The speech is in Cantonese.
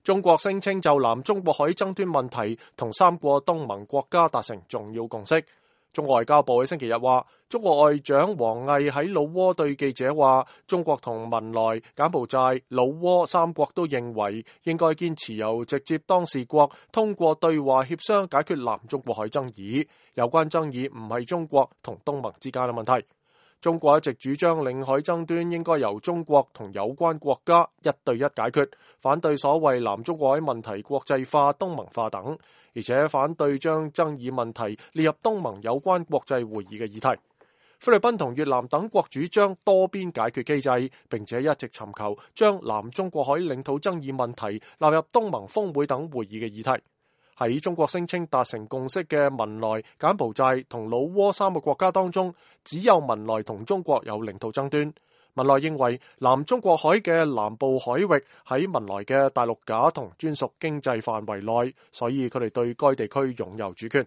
中國聲稱就南中國海爭端問題同3個東盟國家達成重要共識。中國外交部喺星期日話，中國外長王毅喺老撾對記者話，中國同文萊、柬埔寨、老撾3國都認為應該堅持由直接當事國通過對話協商解決南中國海爭議，有關爭議唔係中國同東盟之間嘅問題。中國一直主張領海爭端應該由中國同有關國家1對1解決，反對所謂南中國海問題國際化、東盟化等，而且反對將爭議問題列入東盟有關國際會議嘅議題。菲律賓同越南等國主張多邊解決機制，並且一直尋求將南中國海領土爭議問題納入東盟峰會等會議嘅議題。喺中國聲稱達成共識嘅文萊、柬埔寨同老撾3個國家當中，只有文萊同中國有領土爭端。文萊認為南中國海嘅南部海域喺文萊嘅大陸架同專屬經濟範圍內，所以佢哋對該地區擁有主權。